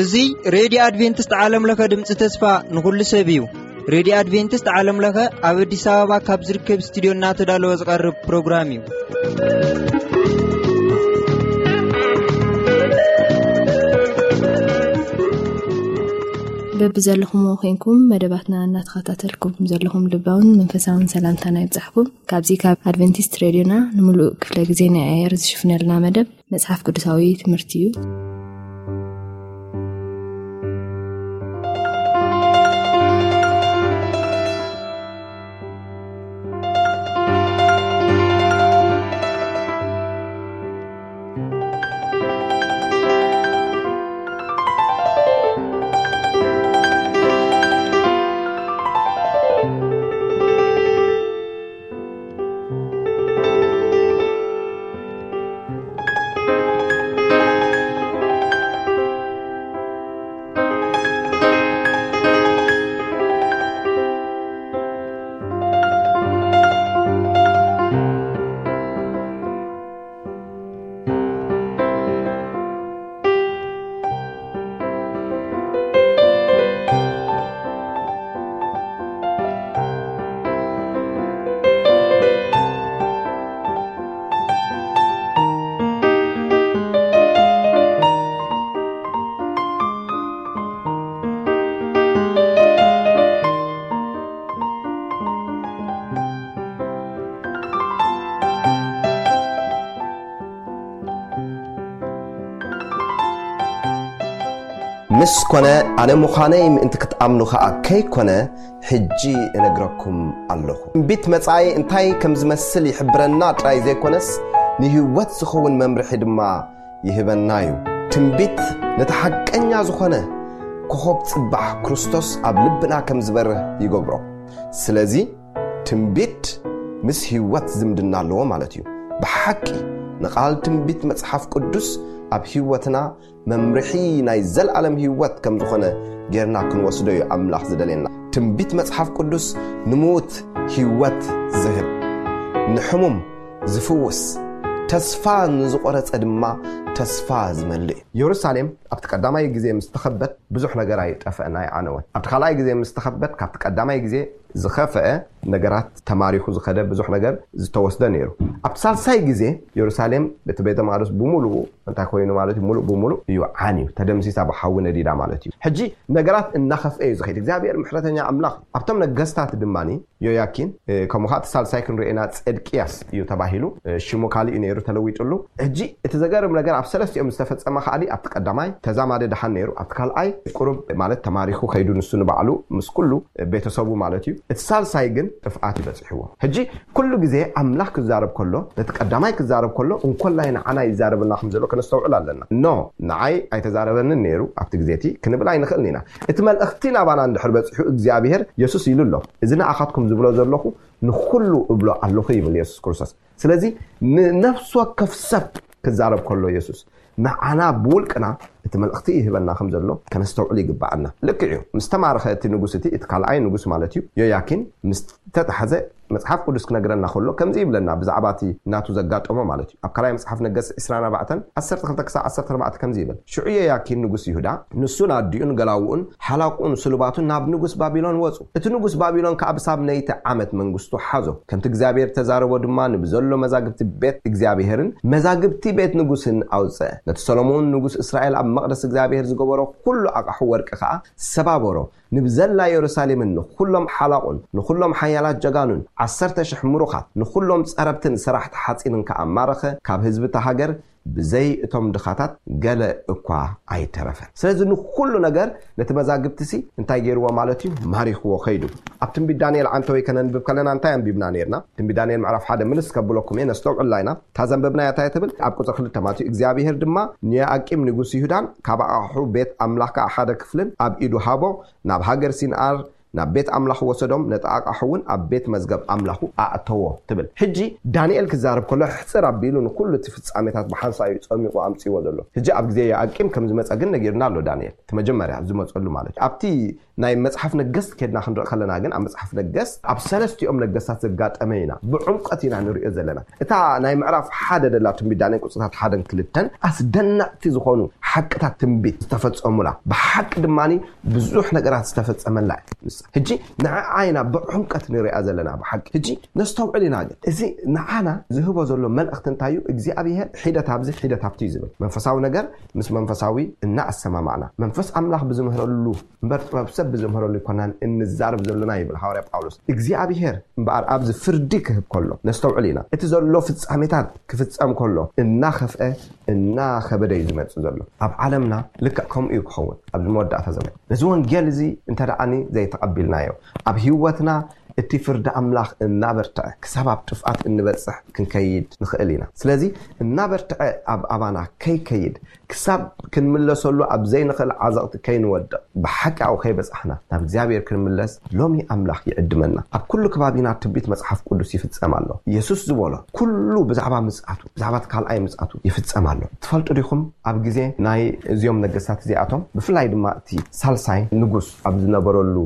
እዚ ሬድዮ ኣድቬንቲስት ዓለም ለኸ ድምፂ ተስፋ ንኹሉ ሰብ እዩ። ሬድዮ ኣድቬንቲስት ዓለም ለኸ ኣብ ኣዲስ ኣበባ ካብ ዝርከብ ስቱዲዮ እናተዳለወ ዝቐርብ ፕሮግራም እዩ። በብዘለኹምዎ ኮይንኩም መደባትና እናተኸታተልኩም ዘለኹም ልባውን መንፈሳውን ሰላምታና ይብጻሕኩም። ካብዚ ካብ ኣድቨንቲስት ሬድዮና ንምሉእ ክፍለ ግዜ ናይ ኣየር ዝሽፍነልና መደብ መጽሓፍ ቅዱሳዊ ትምህርቲ እዩ። ምስ ኮነ ኣነ ምዃነይ ምእንቲ ክትኣምኑ ኸኣ ከይኮነ፣ ሕጂ እነግረኩም ኣለኹ። ትንቢት መጻኢ እንታይ ከም ዝመስል ይሕብረና ጥራይ ዘይኮነስ፣ ንህይወት ዝኸውን መምርሒ ድማ ይህበና እዩ። ትንቢት ነቲ ሓቀኛ ዝኾነ ኮኾብ ጽባሕ ክርስቶስ ኣብ ልብና ከም ዝበርህ ይገብሮ። ስለዚ ትንቢት ምስ ህይወት ዝምድና ኣለዎ ማለት እዩ። ብሓቂ ንቓል ትንቢት መጽሓፍ ቅዱስ ኣብ ህይወትና መምርሒ ናይ ዘልኣለም ህይወት ከም ዝኾነ ጌርና ክንወስዶ እዩ ኣምላኽ ዝደልየና። ትንቢት መጽሓፍ ቅዱስ ንምዉት ህይወት ዝህብ፣ ንሕሙም ዝፍውስ፣ ተስፋ ንዝቖረጸ ድማ ተስፋ ዝመልእ እዩ። የሩሳሌም ኣብቲ ቀዳማይ ግዜ ምስ ተኸበት ብዙሕ ነገር ኣይጠፍአን ኣይዓነወን። ኣብቲ ካልኣይ ግዜ ምስ ተኸበት ካብቲ ቀዳማይ ግዜ ዝኸፍአ ነገራት ተማሪኹ ዝኸደ ብዙሕ ነገር ዝተወስደ ነይሩ። ኣብቲ ሳልሳይ ግዜ የሩሳሌም እቲ ቤተ መቕደስ ብምሉኡ እንታይ ኮይኑ ማለት እዩ? ምሉእ ብምሉእ እዩ ዓንዩ፣ ተደምሲሳ ብሓዊ ነዲዳ ማለት እዩ። ሕጂ ነገራት እናኸፍአ እዩ ዝኸይድ። እግዚኣብሔር ምሕረተኛ ኣምላኽ እዩ። ኣብቶም ነገስታት ድማ ዮያኪን፣ እ፣ ከምኡ ኸዓ እቲ ሳልሳይ ክንሪኦ ኢና፣ ጼድቅያስ እዩ ተባሂሉ፣ እ፣ ሽሙ ካሊእ እዩ ነይሩ ተለዊጥሉ። ሕጂ እቲ ዘገርም ነገር ኣብ ሰለስቲኦም ዝተፈጸመ ከኣሊ ኣብቲ ቀዳማይ ተዛማዲ ደሓን ነይሩ፣ ኣብቲ ካልኣይ ቁሩብ ማለት ተማሪኹ ከይዱ ንሱ ንባዕሉ ምስ ኩሉ ቤተሰቡ ማለት እዩ። እቲ ሳልሳይ ግን ጥፍኣት ይበጽሕዎ። ሕጂ ኩሉ ግዜ ኣምላኽ ክዛረብ ከሎ፣ ነቲ ቀዳማይ ክዛረብ ከሎ እንኮላይ ንዓና ይዛረበና ከም ዘሎ ከነስተውዕል ኣለና። ኖ፣ ንዓይ ኣይተዛረበንን ነይሩ ኣብቲ ግዜ እቲ ክንብል ኣይንኽእልን ኢና። እቲ መልእኽቲ ናባና እንድሕር በጺሑ እግዚኣብሔር የሱስ ኢሉ ኣሎ፣ እዚ ንኣኻትኩም ዝብሎ ዘለኹ ንኹሉ እብሎ ኣለኹ ይብል የሱስ ክርስቶስ። ስለዚ ንነፍሲ ወከፍ ሰብ ክዛረብ ከሎ የሱስ ንዓና ብውልቅና እቲ መልእኽቲ ይህበና ከም ዘሎ ከነስተውዕል ይግብኣና። ልክዕ እዩ፣ ምስ ተማረኸ እቲ ንጉስ እቲ፣ እቲ ካልኣይ ንጉስ ማለት እዩ፣ ዮያኪን ምስ ተታሕዘ መጽሓፍ ቅዱስ ክነግረና ከሎ ከምዚ ይብለና ብዛዕባ እቲ ናቱ ዘጋጠሞ ማለት እዩ። ኣብ ካልኣይ መጽሓፍ ነገስት ዕስራን ኣርባዕተን ዓሰርተ ክልተ ክሳብ ዓሰርተ ኣርባዕተ ከምዚ ይብል፣ ሽዑ ዮያኪን ንጉስ ይሁዳ ንሱን ኣዲኡን ገላውኡን ሓላቁኡን ስሉባቱን ናብ ንጉስ ባቢሎን ወጹ። እቲ ንጉስ ባቢሎን ከኣ ብሳብነይቲ ዓመት መንግስቱ ሓዞ። ከምቲ እግዚኣብሔር ተዛረቦ ድማ ንብዘሎ መዛግብቲ ቤት እግዚኣብሔርን መዛግብቲ ቤት ንጉስን ኣውጽአ። ነቲ ሰሎሞን ንጉስ እስራኤል ኣብ መቕደስ እግዚኣብሔር ዝገበሮ ኩሉ ኣቕሑ ወርቂ ከኣ ሰባበሮ። ንብዘላ የሩሳሌምን ንኹሎም ሓላቑን ንኹሎም ሓያላት ጀጋኑን ዓሰርተ ሽሕ ምሩኻት ንኹሎም ጸረብትን ሰራሕቲ ሓጺንን ከኣ ማረኸ። ካብ ህዝቢ እታ ሃገር ብዘይ እቶም ድኻታት ገለ እኳ ኣይተረፈን። ስለዚ ንኹሉ ነገር ነቲ መዛግብቲ ሲ እንታይ ገይርዎ ማለት እዩ? ማሪኽዎ ከይዱ። ኣብ ትንቢት ዳንኤል ዓንተወይ ከነንብብ ከለና እንታይ ኣንቢብና ነይርና? ትንቢት ዳንኤል ምዕራፍ ሓደ ምልስ ከብለኩም እየ፣ ነስተውዕላ ኢና። እታ ዘንበብናያ እንታይ ትብል? ኣብ ቁጽሪ ክልተ ማለት እዩ። እግዚኣብሔር ድማ ንዮኣቂም ንጉስ ይሁዳን ካብ ኣቕሑ ቤት ኣምላኽ ከኣ ሓደ ክፍልን ኣብ ኢዱ ሃቦ፣ ናብ ሃገር ሲንኣር ናብ ቤት ኣምላኽ ወሰዶም፣ ነቲ ኣቕሑ እውን ኣብ ቤት መዝገብ ኣምላኹ ኣእተዎ ትብል። ሕጂ ዳንኤል ክዛረብ ከሎ ሕጽር ኣቢሉ ንኹሉ እቲ ፍጻሜታት ብሓንሳእ እዩ ጸሚቑ ኣምጺእዎ ዘሎ። ሕጂ ኣብ ግዜ ዮኣቂም ከም ዝመጸ ግን ነጊርና ኣሎ ዳንኤል፣ እቲ መጀመርያ ዝመጸሉ ማለት እዩ። ኣብቲ ናይ መጽሓፍ ነገስት ከድና ክንርኢ ከለና ግን ኣብ መጽሓፍ ነገስት ኣብ ሰለስቲኦም ነገስታት ዘጋጠመ ኢና ብዕምቀት ኢና ንሪኦ ዘለና። እታ ናይ ምዕራፍ ሓደ ደላ ትንቢት ዳንኤል ቁጽርታት ሓደን ክልተን ኣስደናቕቲ ዝኾኑ ሓቅታት ትንቢት ዝተፈጸሙላ፣ ብሓቂ ድማ ብዙሕ ነገራት ዝተፈጸመላ እያ። ሕጂ ንዓዓ ኢና ብዕምቀት ንሪኣ ዘለና። ብሓቂ ሕጂ ነስተውዕል ኢና። ግን እዚ ንዓና ዝህቦ ዘሎ መልእኽቲ እንታይ እዩ? እግዚኣብሔር ሒደት ኣብዚ ሒደት ኣብቲ እዩ ዝብል። መንፈሳዊ ነገር ምስ መንፈሳዊ እናኣሰማማዕና መንፈስ ኣምላኽ ብዝምህረሉ እምበር ጥበብ ሰብ ብዝምህረሉ ኣይኮናን እንዛረብ ዘለና ይብል ሃዋርያ ጳውሎስ። እግዚኣብሔር እምበኣር ኣብዚ ፍርዲ ክህብ ከሎ ነስተውዕል ኢና። እቲ ዘሎ ፍጻሜታት ክፍጸም ከሎ እናኸፍአ እናኸበደ እዩ ዝመጽእ ዘሎ። ኣብ ዓለምና ልክዕ ከምኡ እዩ ክኸውን ኣብዚ መወዳእታ ዘመን። ነዚ ወንጌል እዚ እንተ ደኣኒ ዘይተቐቢልናዮ ኣብ ህይወትና እቲ ፍርዲ ኣምላኽ እናበርትዐ ክሳብ ኣብ ጥፍኣት እንበጽሕ ክንከይድ ንኽእል ኢና። ስለዚ እናበርትዐ ኣብ ኣባና ከይከይድ ክሳብ ክንምለሰሉ ኣብ ዘይንኽእል ዓዘቕቲ ከይንወድቕ ብሓቂ ኣብኡ ከይበጻሕና ናብ እግዚኣብሔር ክንምለስ ሎሚ ኣምላኽ ይዕድመና። ኣብ ኩሉ ከባቢና ትንቢት መጽሓፍ ቅዱስ ይፍጸም ኣሎ። የሱስ ዝበሎ ኩሉ ብዛዕባ ምጽኣቱ ብዛዕባ እቲ ካልኣይ ምጽኣቱ ይፍጸም ኣሎ። ትፈልጡ ዲኹም? ኣብ ግዜ ናይ እዚኦም ነገስታት እዚኣቶም ብፍላይ ድማ እቲ ሳልሳይ ንጉስ ኣብ ዝነበረሉ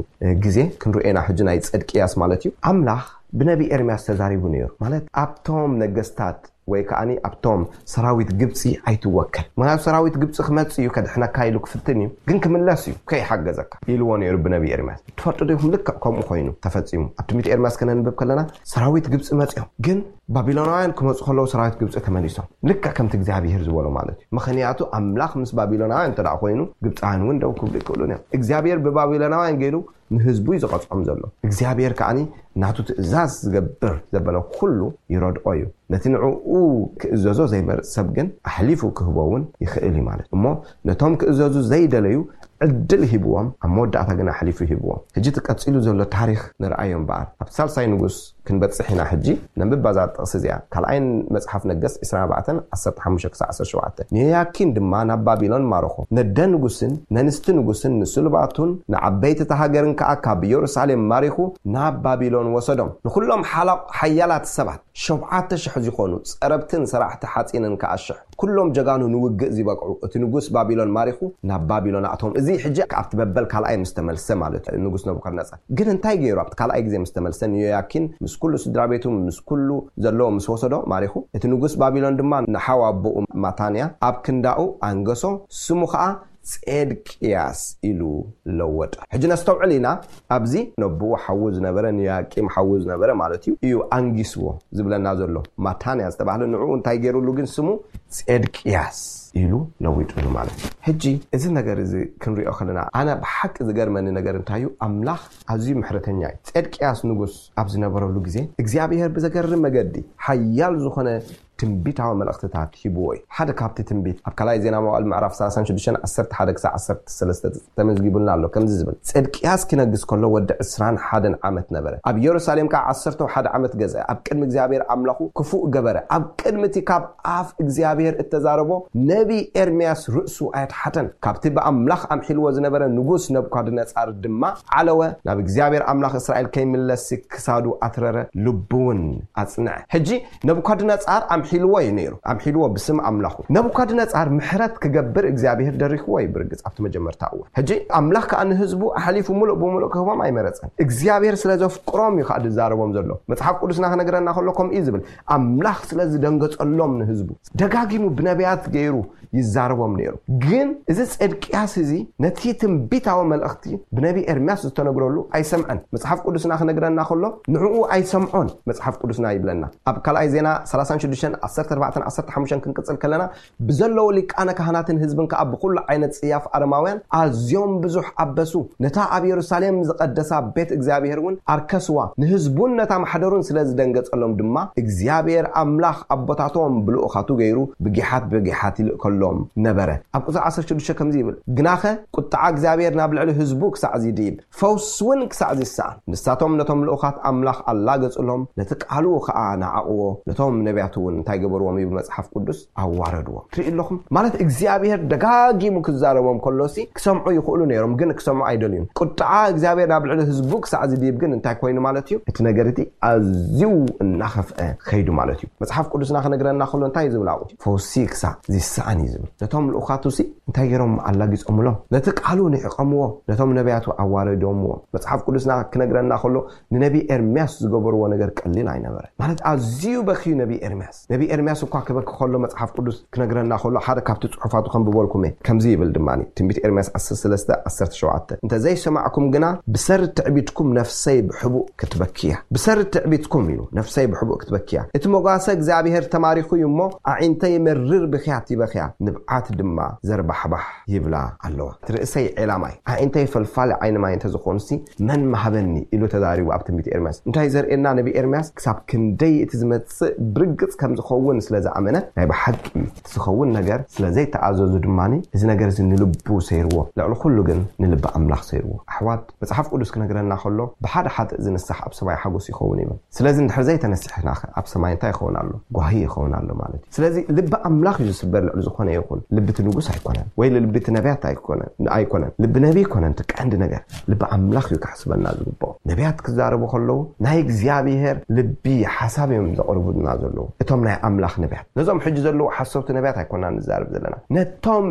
ግዜ ክንርኤና ሕጂ ናይ ጸድቅያስ ማለት እዩ ኣምላኽ ብነቢ ኤርምያስ ተዛሪቡ ነይሩ። ማለት ኣብቶም ነገስታት ወይ ከዓኒ ኣብቶም ሰራዊት ግብፂ ኣይትወከል፣ ምክንያቱ ሰራዊት ግብፂ ክመፅ እዩ ከድሕነካ ኢሉ ክፍትን እዩ፣ ግን ክምለስ እዩ ከይሓገዘካ ኢልዎ ነይሩ ብነቢ ኤርምያስ። ትፈልጡ ዲኹም? ልክዕ ከምኡ ኮይኑ ተፈፂሙ። ኣብ ትንቢት ኤርምያስ ከነንብብ ከለና ሰራዊት ግብፂ መፅኦም፣ ግን ባቢሎናውያን ክመፁ ከለዉ ሰራዊት ግብፂ ተመሊሶም፣ ልክዕ ከምቲ እግዚኣብሄር ዝበሎ ማለት እዩ። ምክንያቱ ኣምላኽ ምስ ባቢሎናውያን እንተ ኮይኑ ግብፃውያን እውን ደው ክብሉ ይክእሉን እዮም። እግዚኣብሄር ብባቢሎናውያን ገይሩ ንህዝቡ እዩ ዝቐፅዖም ዘሎ። እግዚኣብሔር ከዓኒ ናቱ ትእዛዝ ዝገብር ዘበለ ኩሉ ይረድኦ እዩ። ነቲ ንዕኡ ክእዘዞ ዘይመርፅ ሰብ ግን ኣሕሊፉ ክህቦ እውን ይኽእል እዩ ማለት እሞ ነቶም ክእዘዙ ዘይደለዩ ዕድል ሂብዎም ኣብ መወዳእታ ግን ኣሕሊፉ ሂብዎም። ሕጂ ትቀፂሉ ዘሎ ታሪክ ንርኣዮ እምበኣር ኣብ ሳልሳይ ንጉስ ክንበጽሕ ኢና። ሕጂ ነንብብ ባዛ ጥቕሲ እዚኣ ካልኣይን መጽሓፍ ነገስ ዕስራን ኣርባዕተን ዓሰርተ ሓሙሽተ ክሳብ ዓሰርተ ሸውዓተ ንዮያኪን ድማ ናብ ባቢሎን ማረኾ። ነደ ንጉስን ነንስቲ ንጉስን ንስሉባቱን ንዓበይቲ እታ ሃገርን ከኣ ካብ ኢየሩሳሌም ማሪኹ ናብ ባቢሎን ወሰዶም። ንኹሎም ሓላ- ሓያላት ሰባት ሸውዓተ ሽሕ ዝኾኑ ጸረብትን ሰራሕቲ ሓጺንን ከኣ ሽሕ ኩሎም ጀጋኑ ንውግእ ዝበቅዑ እቲ ንጉስ ባቢሎን ማሪኹ ናብ ባቢሎን ኣእቶም። እዚ ሕጂ ኣብቲ በበል ካልኣይ ምስ ተመልሰ ማለት እዩ ንጉስ ነቡካድነጻር። ግን እንታይ ገይሩ ኣብቲ ካልኣይ ግዜ ምስ ተመልሰ ንዮያኪን ምስ ኩሉ ስድራ ቤቱ ምስ ኩሉ ዘለዎ ምስ ወሰዶ ማሪኹ። እቲ ንጉስ ባቢሎን ድማ ንሓው ኣቦኡ ማታንያ ኣብ ክንዳኡ ኣንገሶ። ስሙ ኸኣ ጼድቅያስ ኢሉ ለወጠ። ሕጂ ነስተውዕል ኢና። ኣብዚ ነብኡ ሓዉ ዝነበረ ንዮያቂም ሓዉ ዝነበረ ማለት እዩ እዩ ኣንጊስዎ ዝብለና ዘሎ ማታንያ ዝተባህለ ንዕኡ እንታይ ገይሩሉ ግን ስሙ ጼድቅያስ ኢሉ ለዊጥሉ ማለት እዩ። ሕጂ እዚ ነገር እዚ ክንሪኦ ከለና ኣነ ብሓቂ ዝገርመኒ ነገር እንታይ እዩ ኣምላኽ ኣዝዩ ምሕረተኛ እዩ። ጼድቅያስ ንጉስ ኣብ ዝነበረሉ ግዜ እግዚኣብሔር ብዘገርም መገዲ ሓያል ዝኾነ ትንቢታዊ መልእኽትታት ሂብዎ እዩ። ሓደ ካብቲ ትንቢት ኣብ ካልኣይ ዜና መዋዕል ምዕራፍ ሰላሳን ሽዱሽተን ዓሰርተ ሓደ ክሳብ ዓሰርተ ሰለስተ ተመዝጊቡልና ኣሎ። ከምዚ ዝብል ጼድቅያስ ክነግስ ከሎ ወዲ ዕስራን ሓደን ዓመት ነበረ። ኣብ ኢየሩሳሌም ከዓ ዓሰርተ ሓደ ዓመት ገዝአ። ኣብ ቅድሚ እግዚኣብሔር ኣምላኹ ክፉእ ገበረ። ኣብ ቅድሚ እቲ ካብ ኣፍ እግዚኣብሔር እተዛረቦ ነቢ ኤርምያስ ርእሱ ኣየትሓተን። ካብቲ ብኣምላኽ ኣምሒልዎ ዝነበረ ንጉስ ነቡካድነጻር ድማ ዓለወ። ናብ እግዚኣብሔር ኣምላኽ እስራኤል ከይምለስ ክሳዱ ኣትረረ፣ ልቡ እውን ኣጽንዐ። ሕጂ ነቡካድነጻር ኣምሒልዎ እዩ ነይሩ። ኣምሒልዎ ብስም ኣምላኹ። ነቡካድነጻር ምሕረት ክገብር እግዚኣብሔር ደሪኽዎ እዩ ብርግጽ ኣብቲ መጀመርታ እዋን። ሕጂ ኣምላኽ ከኣ ንህዝቡ ኣሕሊፉ ምሉእ ብምሉእ ክህቦም ኣይመረጸን። እግዚኣብሔር ስለ ዘፍቅሮም እዩ ከኣ ዝዛረቦም ዘሎ። መጽሓፍ ቅዱስና ክነግረና ከሎ ከምኡ እዩ ዝብል። ኣምላኽ ስለ ዝደንገጸሎም ንህዝቡ ደጋጊሙ ብነቢያት ገይሩ ይዛረቦም ነይሩ። ግን እዚ ጼድቅያስ እዚ ነቲ ትንቢታዊ መልእኽቲ ብነቢ ኤርምያስ ዝተነግረሉ ኣይሰምዐን። መጽሓፍ ቅዱስና ክነግረና ከሎ ንዕኡ ኣይሰምዖን መጽሓፍ ቅዱስና ይብለና። ኣብ ካልኣይ ዜና ሰላሳን ሽዱሽተን ዓሰርተ ኣርባዕተን ዓሰርተ ሓሙሽተን ክንቅጽል ከለና ብዘለዉ ሊቃነ ካህናትን ህዝብን ከኣ ብኹሉ ዓይነት ጽያፍ ኣረማውያን ኣዝዮም ብዙሕ ኣበሱ። ነታ ኣብ የሩሳሌም ዝቐደሳ ቤት እግዚኣብሔር እውን ኣርከስዋ። ንህዝቡን ነታ ማሕደሩን ስለ ዝደንገጸሎም ድማ እግዚኣብሔር ኣምላኽ ኣቦታቶም ብልኡኻቱ ገይሩ ብጊሓት ብጊሓት ይልእከሎም ነበረ። ኣብ ቁጽሪ ዓሰርተ ሽዱሽተ ከምዚ ይብል፣ ግናኸ ቁጥዓ እግዚኣብሔር ናብ ልዕሊ ህዝቡ ክሳዕ ዝድይብ ፈውስ እውን ክሳዕ ዝሰኣን ንሳቶም ነቶም ልኡኻት ኣምላኽ ኣላገጹሎም፣ ነቲ ቃሉ ኸኣ ነዓቕዎ፣ ነቶም ነቢያቱ እውን እንታይ ገበርዎም እዩ ብመጽሓፍ ቅዱስ ኣዋረድዎም። ትርኢ ኣለኹም ማለት እግዚኣብሔር ደጋጊሙ ክዛረቦም ከሎሲ ክሰምዑ ይኽእሉ ነይሮም፣ ግን ክሰምዑ ኣይደልዩን። ቁጥዓ እግዚኣብሔር ናብ ልዕሊ ህዝቡ ክሳዕ ዝድይብ ግን እንታይ ኮይኑ ማለት እዩ? እቲ ነገር እቲ ኣዝዩ እናኸፍአ ከይዱ ማለት እዩ። መጽሓፍ ቅዱስና ክነግረና ከሎ እንታይ እዩ ዝብል ኣብኡ? ፈውሲ ክሳዕ ዝሰኣን እዩ። እዩ ዝብል። ነቶም ልኡኻቱ ሲ እንታይ ገይሮም ኣላጊጾምሎም? ነቲ ቃሉ ንዕቐምዎ፣ ነቶም ነቢያቱ ኣዋረዶምዎ። መጽሓፍ ቅዱስና ክነግረና ከሎ ንነቢ ኤርምያስ ዝገበርዎ ነገር ቀሊል ኣይነበረ። ማለት ኣዝዩ በኽዩ ነቢ ኤርምያስ። ነቢ ኤርምያስ እኳ ክበኪ ከሎ መጽሓፍ ቅዱስ ክነግረና ከሎ ሓደ ካብቲ ጽሑፋቱ ከንብበልኩም እየ። ከምዚ ይብል ድማ ትንቢት ኤርምያስ ዓሰርተ ሰለስተ ዓሰርተ ሸውዓተ፣ "እንተዘይሰማዕኩም ግና ብሰሪ ትዕቢትኩም ነፍሰይ ብሕቡእ ክትበኪያ። ብሰሪ ትዕቢትኩም" ኢሉ፣ "ነፍሰይ ብሕቡእ ክትበኪያ። እቲ መጓሰ እግዚኣብሔር ተማሪኹ እዩ እሞ ኣዒንተይ መርር ብኽያት ይበኽያ፣ ንብዓት ድማ ዘርባሕባሕ ይብላ ኣለዋ። እቲ ርእሰይ ዔላማይ ኣዒንተይ ፈልፋሊ ዓይኒ ማይ እንተዝኾኑሲ መን መሃበኒ?" ኢሉ ተዛሪቡ ኣብ ትንቢት ኤርምያስ። እንታይ ዘርእየና? ነቢ ኤርምያስ ክሳብ ክንደይ እቲ ዝመጽእ ብርግጽ ከም ዝኸውን ስለ ዝኣመነ ናይ ብሓቂ እቲ ዝኸውን ነገር ስለ ዘይተኣዘዙ ድማ እዚ ነገር እዚ ንልቡ ሰይርዎ። ልዕሊ ኩሉ ግን ንልቢ ኣምላኽ ሰይርዎ። ኣሕዋት፣ መጽሓፍ ቅዱስ ክነግረና ከሎ ብሓደ ሓጥእ ዝንሳሕ ኣብ ሰማይ ሓጎስ ይኸውን ይብል። ስለዚ እንድሕር ዘይተነሲሕና ከ ኣብ ሰማይ እንታይ ይኸውን ኣሎ? ጓሂ ይኸውን ኣሎ ማለት እዩ። ስለዚ ልቢ ኣምላኽ እዩ ዝስበር ልዕሊ ዝኾነ ይኹን። ልቢ እቲ ንጉስ ኣይኮነን ወይ ልቢ እቲ ነቢያት ኣይኮነን ኣይኮነን። ልቢ ነቢ ኣይኮነን እቲ ቀንዲ ነገር። ልቢ ኣምላኽ እዩ ክሕስበና ዝግብኦ። ነቢያት ክዛረቡ ከለዉ ናይ እግዚኣብሔር ልቢ ሓሳብ እዮም ዘቕርቡና ዘለዉ እቶም ናይ ኣምላኽ ነቢያት። ነዞም ሕጂ ዘለዉ ሓሰውቲ ነቢያት ኣይኮና ንዛረብ ዘለና። ነቶም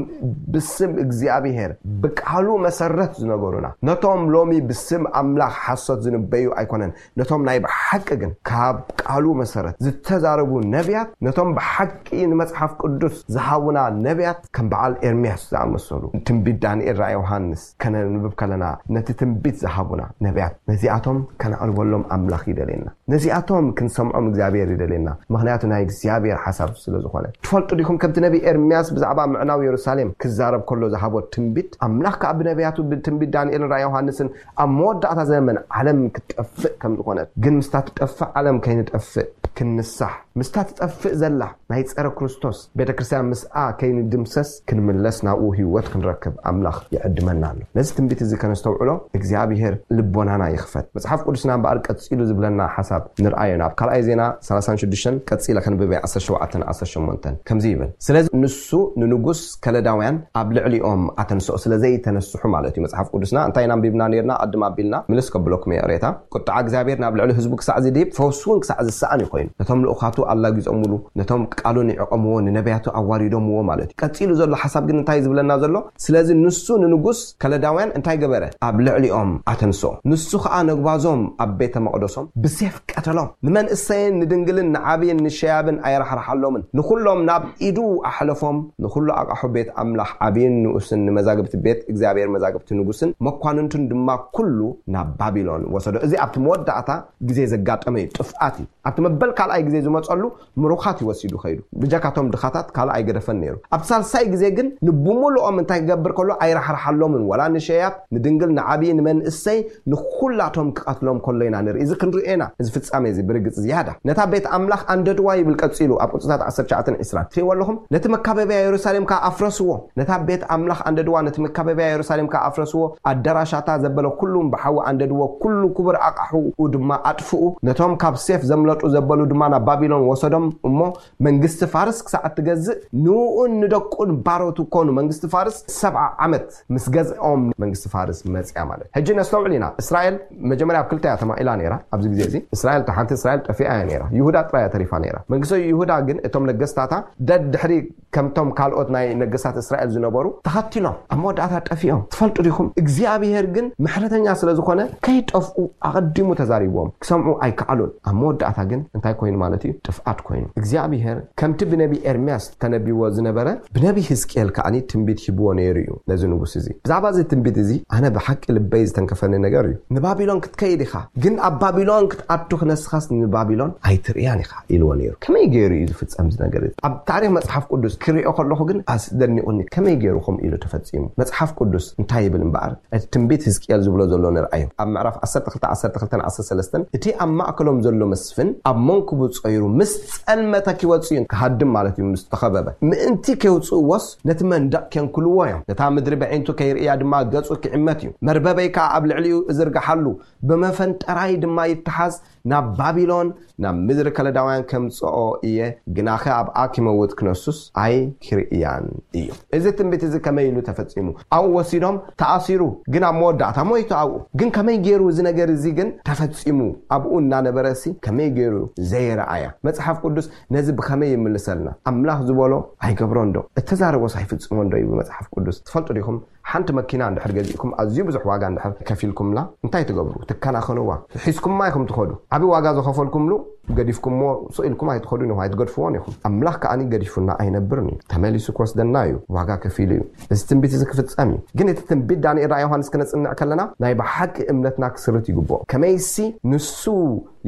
ብስም እግዚኣብሔር ብቃሉ መሰረት ዝነገሩና፣ ነቶም ሎሚ ብስም ኣምላኽ ሓሶት ዝንበዩ ኣይኮነን። ነቶም ናይ ብሓቂ ግን ካብ ቃሉ መሰረት ዝተዛረቡ ነቢያት፣ ነቶም ብሓቂ ንመጽሓፍ ቅዱስ ዝሃቡና ነቢያት፣ ከም በዓል ኤርምያስ ዝኣመሰሉ፣ ትንቢት ዳንኤል፣ ራእይ ዮሃንስ ከነንብብ ከለና ነቲ ትንቢት ዝሃቡና ነቢያት፣ ነዚኣቶም ከነዕልበሎም ኣምላኽ ይደልየና። ነዚኣቶም ክንሰምዖም እግዚኣብሔር ይደልየና። ምኽንያቱ ናይ እግዚኣብሔር ሓሳብ ስለ ዝኾነ። ትፈልጡ ዲኹም ከምቲ ነቢ ኤርምያስ ብዛዕባ ምዕናው የሩሳሌም ክዛረብ ከሎ ዝሃቦ ትንቢት፣ ኣምላኽ ከኣ ብነቢያቱ ብትንቢት ዳንኤልን ራእይ ዮሃንስን ኣብ መወዳእታ ዘመን ዓለም ክትጠፍእ ከም ዝኾነት፣ ግን ምስታ ትጠፍእ ዓለም ከይንጠፍእ ክንንሳሕ፣ ምስታ ትጠፍእ ዘላ ናይ ጸረ ክርስቶስ ቤተ ክርስቲያን ምስኣ ከይንድምሰስ ክንምለስ ናብኡ ህይወት ክንረክብ ኣምላኽ ይዕድመና ኣሎ። ነዚ ትንቢት እዚ ከነስተውዕሎ እግዚኣብሔር ልቦናና ይኽፈት። መጽሓፍ ቅዱስና እምበኣር ቀጺሉ ዝብለና ሓሳብ ንርኣዮ። ናብ ካልኣይ ዜና ሰላሳን ሽዱሽተን ቀጺለ ከንብበ ዓሰርተ ሸውዓተን ዓሰርተ ሸሞንተን ከምዚ ይብል። ስለዚ ንሱ ንንጉስ ከለዳውያን ኣብ ልዕሊኦም ኣተንስኦ፣ ስለ ዘይተነስሑ ማለት እዩ። መጽሓፍ ቅዱስና እንታይ ኢና ኣንቢብና ነርና? ቅድም ኣቢልና ምልስ ከብለኩም እየ ቅሬታ። ቁጥዓ እግዚኣብሔር ናብ ልዕሊ ህዝቡ ክሳዕ ዝድይብ፣ ፈውስ እውን ክሳዕ ዝሰኣን እዩ ኮይኑ። ነቶም ልኡኻቱ ኣላጊጾምሉ፣ ነቶም ቃሉ ንዕቐምዎ፣ ንነቢያቱ ኣዋሪዶምዎ ማለት እዩ። ቀጺሉ ዘሎ ሓሳብ ግን እንታይ ዝብለና ዘሎ? ስለዚ ንሱ ንንጉስ ከለዳውያን እንታይ ገበረ? ኣብ ልዕሊኦም ኣተንስኦ። ንሱ ኸኣ ነግባዞም ኣብ ቤተ መቕደሶም ብሴፍ ቀተሎም። ንመንእሰይን ንድንግልን ንዓብይን ንሸያብን ኣይራሕርሓሎምን። ንኹሎም ናብ ኢዱ ኣሕለፎም። ንኹሉ ኣቓሑ ቤት ኣምላኽ ዓብይን ንኡስን፣ ንመዛግብቲ ቤት እግዚኣብሔር መዛግብቲ ንጉስን መኳንንቱን ድማ ኩሉ ናብ ባቢሎን ወሰዶ። እዚ ኣብቲ መወዳእታ ግዜ ዘጋጠመ እዩ፣ ጥፍኣት እዩ። ኣብቲ መበል ካልኣይ ግዜ ዝመጸሉ ምሩኻት እዩ ወሲዱ ኸይዱ። ብጀካቶም ድኻታት ካልእ ኣይገደፈን ነይሩ። ኣብቲ ሳልሳይ ግዜ ግን ንብሙሉኦም እንታይ ክገብር ከሎ ኣይራሕርሓሎምን፣ ወላ ንሸያብ፣ ንድንግል፣ ንዓብዪ፣ ንመንእሰይ፣ ንኹላቶም ክቐትሎም ከሎ ኢና ንርኢ። እዚ ክንርእዮ ኢና፣ እዚ ፍጻሜ እዚ ብርግጽ ዝያዳ። ነታ ቤት ኣምላኽ ኣንደድዋ ይብል ቀጺሉ ኣብ ቁጽርታት ዓሰርተ ትሽዓተን ዕስራን። ትርእይዎ ኣለኹም? ነቲ መካበብያ የሩሳሌም ከኣ ኣፍረስዎ። ነታ ቤት ኣምላኽ ኣንደድዋ፣ ነቲ መካበብያ የሩሳሌም ከኣ ኣፍረስዎ። ኣዳራሻታ ዘበለ ኩሉም ብሓዊ ኣንደድዎ፣ ኩሉ ክቡር ኣቓሑኡ ድማ ኣጥፍኡ። ነቶም ካብ ሴፍ ዘምለጡ ዘበሉ ድማ ናብ ባቢሎን ወሰዶም። እሞ መንግስቲ ፋርስ ክሳዕ እትገዝእ ንኡን ንደቁን ባሮቱ ኮኑ። መንግስቲ ፋርስ ሰብዓ ዓመት ምስ ገዝኦም መንግስቲ ፋርስ መጽያ ማለት። ሕጂ ነስተውዕል ኢና። እስራኤል መጀመርያ ኣብ ክልተ እያ ተማቒላ ነይራ። ኣብዚ ግዜ እዚ እስራኤል፣ እታ ሓንቲ እስራኤል ጠፊኣ እያ ነይራ። ይሁዳ ጥራይ እያ ተሪፋ ነይራ። መንግስቲ ይሁዳ ግን እቶም ነገስታታ ደድሕሪ ከምቶም ካልኦት ናይ ነገስታት እስራኤል ዝነበሩ ተኸቲሎም ኣብ መወዳእታ ጠፊኦም። ትፈልጡ ዲኹም? እግዚኣብሔር ግን ምሕረተኛ ስለ ዝኾነ ከይጠፍኡ ኣቐዲሙ ተዛሪብዎም። ክሰምዑ ኣይከኣሉን። ኣብ መወዳእታ ግን እንታይ ኮይኑ ማለት እዩ? ጥፍኣት ኮይኑ። እግዚኣብሔር ከምቲ ብነቢ ኤርምያስ ተነቢዎ ዝነበረ ብነቢ ህዝቅኤል ከኣኒ ትንቢት ሂብዎ ነይሩ እዩ ነዚ ንጉስ እዚ። ብዛዕባ እዚ ትንቢት እዚ ኣነ ብሓቂ ልበይ ዝተንከፈኒ ነገር እዩ። ንባቢሎን ክትከይድ ኢኻ፣ ግን ኣብ ባቢሎን ክትኣቱ ክነስኻስ ንባቢሎን ኣይትርእያን ኢኻ ኢልዎ ነይሩ። ከመይ ገይሩ እዩ ዝፍጸም እዚ ነገር እዚ? ኣብ ታሪኽ መጽሓፍ ቅዱስ ክሪኦ ከለኹ ግን ኣስደኒቑኒ። ከመይ ገይሩ ከምኡ ኢሉ ተፈጺሙ? መጽሓፍ ቅዱስ እንታይ ይብል እምበኣር? እቲ ትንቢት ህዝቅኤል ዝብሎ ዘሎ ንርኣዮ። ኣብ ምዕራፍ ዓሰርተ ክልተ፣ ዓሰርተ ክልተን ዓሰርተ ሰለስተን፣ እቲ ኣብ ማእከሎም ዘሎ መስፍን ኣብ መንኩቡ ጸይሩ ምስ ጸልመተ ኪወጽእ እዩ፣ ክሃድም ማለት እዩ፣ ምስ ተኸበበ። ምእንቲ ከውጽእዎስ ነቲ መንደቕ ኬንክልዎ እዮም። ነታ ምድሪ ብዒንቱ ከይርእያ ድማ ገጹ ክዕመት እዩ። መርበበይ ከኣ ኣብ ልዕሊኡ እዝርግሓሉ፣ ብመፈንጠራይ ድማ ይተሓዝ፣ ናብ ባቢሎን፣ ናብ ምድሪ ከለዳውያን ከም ክወጽኦ እየ፣ ግናኸ ኣብኣ ኪመውት ክነሱስ ኣይክርእያን እዩ። እዚ ትንቢት እዚ ከመይ ኢሉ ተፈጺሙ? ኣብኡ ወሲዶም ተኣሲሩ፣ ግን ኣብ መወዳእታ ሞይቱ ኣብኡ። ግን ከመይ ገይሩ እዚ ነገር እዚ ግን ተፈጺሙ? ኣብኡ እናነበረ ሲ ከመይ ገይሩ ዘይረኣያ? መጽሓፍ ቅዱስ ነዚ ብኸመይ ይምልሰልና? ኣምላኽ ዝበሎ ኣይገብሮን ዶ? እተዛረቦስ ኣይፍጽሞን ዶ? ይብል መጽሓፍ ቅዱስ። ትፈልጡ ዲኹም? ሓንቲ መኪና እንድሕር ገዚእኩም ኣዝዩ ብዙሕ ዋጋ እንድሕር ከፊልኩምላ እንታይ ትገብሩ? ትከናኸንዋ። ሒዝኩማ ኢኹም ትኸዱ። ዓቢ ዋጋ ዝኸፈልኩምሉ ገዲፍኩሞ ስቕ ኢልኩም ኣይትኸዱን ኢኹም፣ ኣይትገድፍዎን ኢኹም። ኣምላኽ ከኣ ገዲፉና ኣይነብርን እዩ። ተመሊሱ ክወስደና እዩ። ዋጋ ከፊሉ እዩ። እዚ ትንቢት እዚ ክፍጸም እዩ። ግን እቲ ትንቢት ዳንኤል ራእይ ዮሃንስ ክነጽንዕ ከለና ናይ ብሓቂ እምነትና ክስርት ይግብኦ። ከመይሲ ንሱ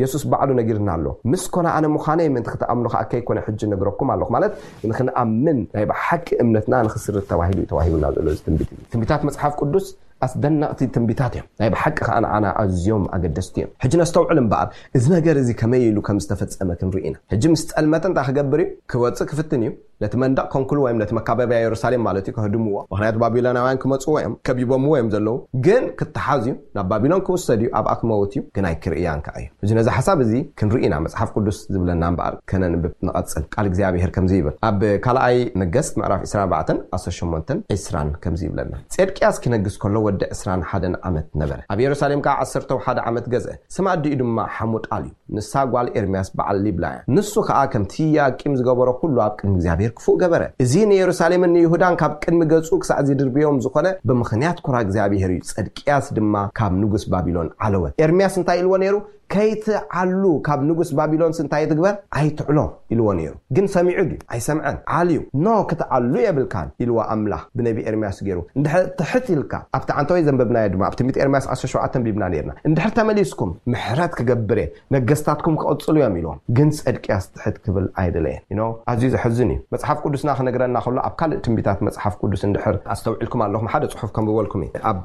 የሱስ ባዕሉ ነጊርና ኣሎ። ምስ ኮነ ኣነ ምዃነይ ምእንቲ ክትኣምኑ ከኣ ከይኮነ ሕጂ ነግረኩም ኣለኹ። ማለት ንኽንኣምን ናይ ብሓቂ እምነትና ንኽስርት ተባሂሉ እዩ ተዋሂቡና ዘሎ እዚ ትንቢት እዩ። ትንቢታት መጽሓፍ ቅዱስ ኣስደናቕቲ ትንቢታት እዮም። ናይ ብሓቂ ከኣ ንዓና ኣዝዮም ኣገደስቲ እዮም። ሕጂ ነስተውዕል እምበኣር፣ እዚ ነገር እዚ ከመይ ኢሉ ከም ዝተፈጸመ ክንርኢ ኢና። ሕጂ ምስ ጸልመተ እንታይ ክገብር እዩ? ክወጽእ ክፍትን እዩ። ነቲ መንደቕ ከንኩልዎ እዮም፣ ነቲ መካበብያ የሩሳሌም ማለት እዩ፣ ከህድምዎ። ምኽንያቱ ባቢሎናውያን ክመጽዎ እዮም፣ ከቢቦምዎ እዮም ዘለዉ። ግን ክተሓዝ እዩ፣ ናብ ባቢሎን ክውሰድ እዩ፣ ኣብኣ ክመውት እዩ፣ ግን ኣይክርእያን ከኣ እዩ። እዚ ነዚ ሓሳብ እዚ ክንርኢ ኢና፣ መጽሓፍ ቅዱስ ዝብለና እምበኣር ከነንብብ ንቐጽል። ቃል እግዚኣብሔር ከምዚ ይብል፣ ኣብ ካልኣይ ነገስት ምዕራፍ ዕስራን ኣርባዕተን ዓሰርተ ሸሞንተን ዕስራን ከምዚ ይብለና፣ ጼድቅያስ ኪነግስ ከሎ ወዲ ዕስራን ሓደን ዓመት ነበረ። ኣብ የሩሳሌም ከኣ ዓሰርተ ሓደ ዓመት ገዝአ። ስም ኣዲኡ ድማ ሓሙጣል እዩ። ንሳ ጓል ኤርምያስ በዓል ሊብላ እያ። ንሱ ከኣ ከምቲ ያቂም ዝገበሮ ኩሉ ኣብ ቅድሚ እግዚኣብሔር ክፉእ ገበረ። እዚ ንየሩሳሌምን ንይሁዳን ካብ ቅድሚ ገጹ ክሳዕ ዝድርብዮም ዝኾነ ብምኽንያት ኩራ እግዚኣብሔር እዩ። ጸድቅያስ ድማ ካብ ንጉስ ባቢሎን ዓለወት። ኤርምያስ እንታይ ኢልዎ ነይሩ? "ከይትዓሉ፣ ካብ ንጉስ ባቢሎንስ እንታይ ትግበር? ኣይትዕሎ" ኢልዎ ነይሩ። ግን ሰሚዑ ድዩ? ኣይሰምዐን። ዓልዩ። "ኖ፣ ክትዓሉ የብልካን" ኢልዎ ኣምላኽ ብነቢ ኤርምያስ ገይሩ። እንድሕር ትሕት ኢልካ፣ ኣብቲ ዓንተወይ ዘንበብናዮ ድማ፣ ኣብ ትንቢት ኤርምያስ ዓሰርተ ሸውዓተ ኣንቢብና ነይርና። "እንድሕር ተመሊስኩም፣ ምሕረት ክገብር እየ፣ ነገስታትኩም ክቕጽሉ እዮም" ኢልዎም። ግን ጸድቅያስ ትሕት ክብል ኣይደለየን። You know፣ ኣዝዩ ዘሕዝን እዩ። መጽሓፍ ቅዱስና ክነግረና ከሎ፣ ኣብ ካልእ ትንቢታት መጽሓፍ ቅዱስ እንድሕር ኣስተውዒልኩም ኣለኹም፣ ሓደ ጽሑፍ ከንብበልኩም እዩ። ኣብ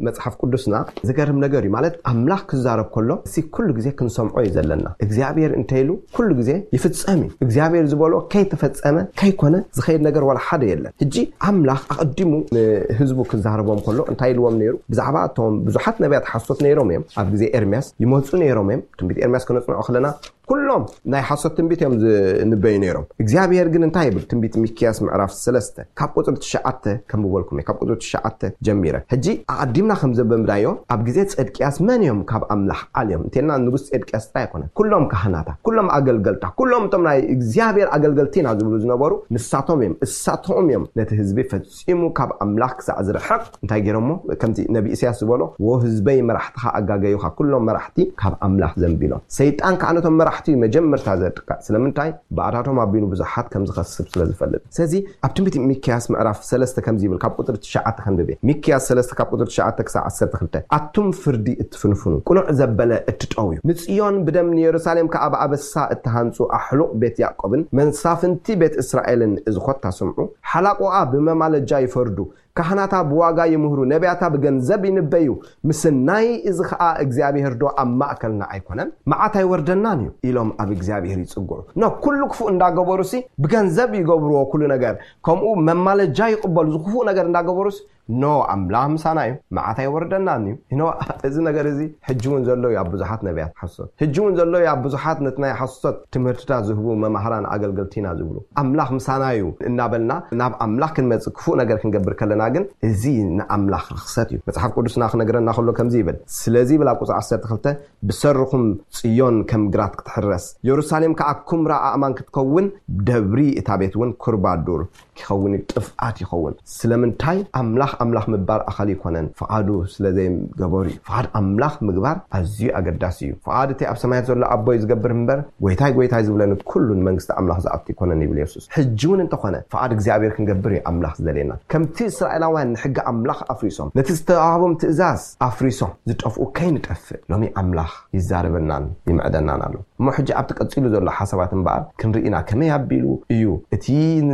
መጽሓፍ ቅዱስና ዝገርም ነገር እዩ። ማለት ኣምላኽ ክዛረብ ከሎ፣ እዚ ኩሉ ግዜ ክንሰምዖ እዩ ዘለና። እግዚኣብሔር እንተይሉ ኩሉ ግዜ ይፍጸም እዩ። እግዚኣብሔር ዝበሎ ከይተፈጸመ፣ ከይኮነ ዝኸይድ ነገር ዋላ ሓደ የለን። ሕጂ ኣምላኽ ኣቐዲሙ ንህዝቡ ክዛረቦም ከሎ እንታይ ኢልዎም ነይሩ? ብዛዕባ እቶም ብዙሓት ነቢያት ሓሶት ነይሮም እዮም። ኣብ ግዜ ኤርምያስ ይመጹ ነይሮም እዮም። ትንቢት ኤርምያስ ክነጽንዖ ከለና ኩሎም ናይ ሓሶት ትንቢት እዮም ዝንበዩ ነይሮም። እግዚኣብሔር ግን እንታይ ይብል? ትንቢት ሚክያስ ምዕራፍ ሰለስተ ካብ ቁጽሪ ትሽዓተ ከንብበልኩም እየ። ካብ ቁጽሪ ትሽዓተ ጀሚረ። ሕጂ ኣቐዲምና ከም ዘንበብናዮ ኣብ ግዜ ጸድቅያስ መን እዮም ካብ ኣምላኽ ዓልዮም እንተልና ንጉስ ጸድቅያስ ጥራይ ኣይኮነን። ኩሎም ካህናታ፣ ኩሎም ኣገልገልታ፣ ኩሎም እቶም ናይ እግዚኣብሔር ኣገልገልቲ ኢና ዝብሉ ዝነበሩ ንሳቶም እዮም፣ እሳቶም እዮም ነቲ ህዝቢ ፈጺሙ ካብ ኣምላኽ ክሳዕ ዝርሕቕ እንታይ ገይሮሞ? ከምቲ ነቢ ኢሳያስ ዝበሎ፣ "ወ ህዝበይ መራሕትኻ ኣጋገዩኻ፣ ኩሎም መራሕቲ ካብ ኣምላኽ ዘንቢሎም።" ሰይጣን ከኣ ነቶም መራሕቲ መጀመርታ ዘጥቅዕ። ስለምንታይ? ብኣታቶም ኣቢሉ ብዙሓት ከም ዝኸስብ ስለ ዝፈልጥ። ስለዚ ኣብ ትንቢት ሚክያስ ምዕራፍ ሰለስተ ከምዚ ይብል፣ ካብ ቁጽሪ ትሽዓተ ከንብብ እየ። ሚክያስ ሰለስተ ካብ ቁጽሪ ትሽዓተ ክሳዕ ዓሰርተ ክልተ፣ "ኣቱም ፍርዲ እትፍንፍኑ፣ ቅኑዕ ዘበለ እትጠውዩ፣ ንጽዮን ብደም ንየሩሳሌም ከኣ ብኣበሳ እትሃንጹ ኣሕሉቕ ቤት ያዕቆብን መሳፍንቲ ቤት እስራኤልን እዚ ኾታ ስምዑ። ሓላቆኣ ብመማለጃ ይፈርዱ፣ ካህናታ ብዋጋ ይምህሩ፣ ነቢያታ ብገንዘብ ይንበዩ። ምስናይ እዚ ኸኣ እግዚኣብሔር ዶ ኣብ ማእከልና ኣይኮነን? መዓት ኣይወርደናን እዩ" ኢሎም ኣብ እግዚኣብሔር ይጽግዑ። ኖ፣ ኩሉ ክፉእ እንዳገበሩሲ ብገንዘብ ይገብርዎ ኩሉ ነገር፣ ከምኡ መማለጃ ይቕበሉ፣ እዚ ክፉእ ነገር እንዳገበሩሲ፣ ኖ፣ ኣምላኽ ምሳና እዩ፣ መዓት ኣይወርደናን እዩ። ኖ፣ እዚ ነገር እዚ ሕጂ እውን ዘሎ እዩ ኣብ ብዙሓት ነቢያት ሓሶት። ሕጂ እውን ዘሎ እዩ ኣብ ብዙሓት ነቲ ናይ ሓሶት ትምህርትታት ዝህቡ መማህራን ኣገልገልቲ ኢና ዝብሉ። ኣምላኽ ምሳና እዩ እናበልና ናብ ኣምላኽ ክንመጽእ ክፉእ ነገር ክንገብር ከለና ግን እዚ ንኣምላኽ ርኽሰት እዩ። መጽሓፍ ቅዱስና ክነግረና ከሎ ከምዚ ይብል፣ ስለዚ ይብል ኣብ ቁጽሪ ዓሰርተ ክልተ፣ "ብሰርኹም ጽዮን ከም ግራት ክትሕረስ፣ የሩሳሌም ከኣ ኩምራ ኣእማን ክትከውን፣ ደብሪ እታ ቤት እውን ኩርባ ዱር" ክኸውን እዩ፣ ጥፍኣት ይኸውን። ስለምንታይ? ኣምላኽ ኣምላኽ ምባል ኣኻሊ ይኮነን፣ ፍቓዱ ስለ ዘይገበሩ እዩ። ፍቓድ ኣምላኽ ምግባር ኣዝዩ ኣገዳሲ እዩ። ፍቓድ እቲ ኣብ ሰማያት ዘሎ ኣቦይ ዝገብር እምበር፣ ጎይታይ ጎይታይ ዝብለኒ ኩሉ ንመንግስቲ ኣምላኽ ዝኣቱ ይኮነን ይብል የሱስ። ሕጂ እውን እንተኾነ ፍቓድ እግዚኣብሔር ክንገብር እዩ ኣምላኽ ዝደልየና። ከምቲ እስራኤላውያን ንሕጊ ኣምላኽ ኣፍሪሶም፣ ነቲ ዝተዋህቦም ትእዛዝ ኣፍሪሶም ዝጠፍኡ ከይንጠፍእ ሎሚ ኣምላኽ ይዛረበናን ይምዕደናን ኣሎ። እሞ ሕጂ ኣብቲ ቀጺሉ ዘሎ ሓሳባት እምበኣር ክንርኢ ኢና፣ ከመይ ኣቢሉ እዩ እቲ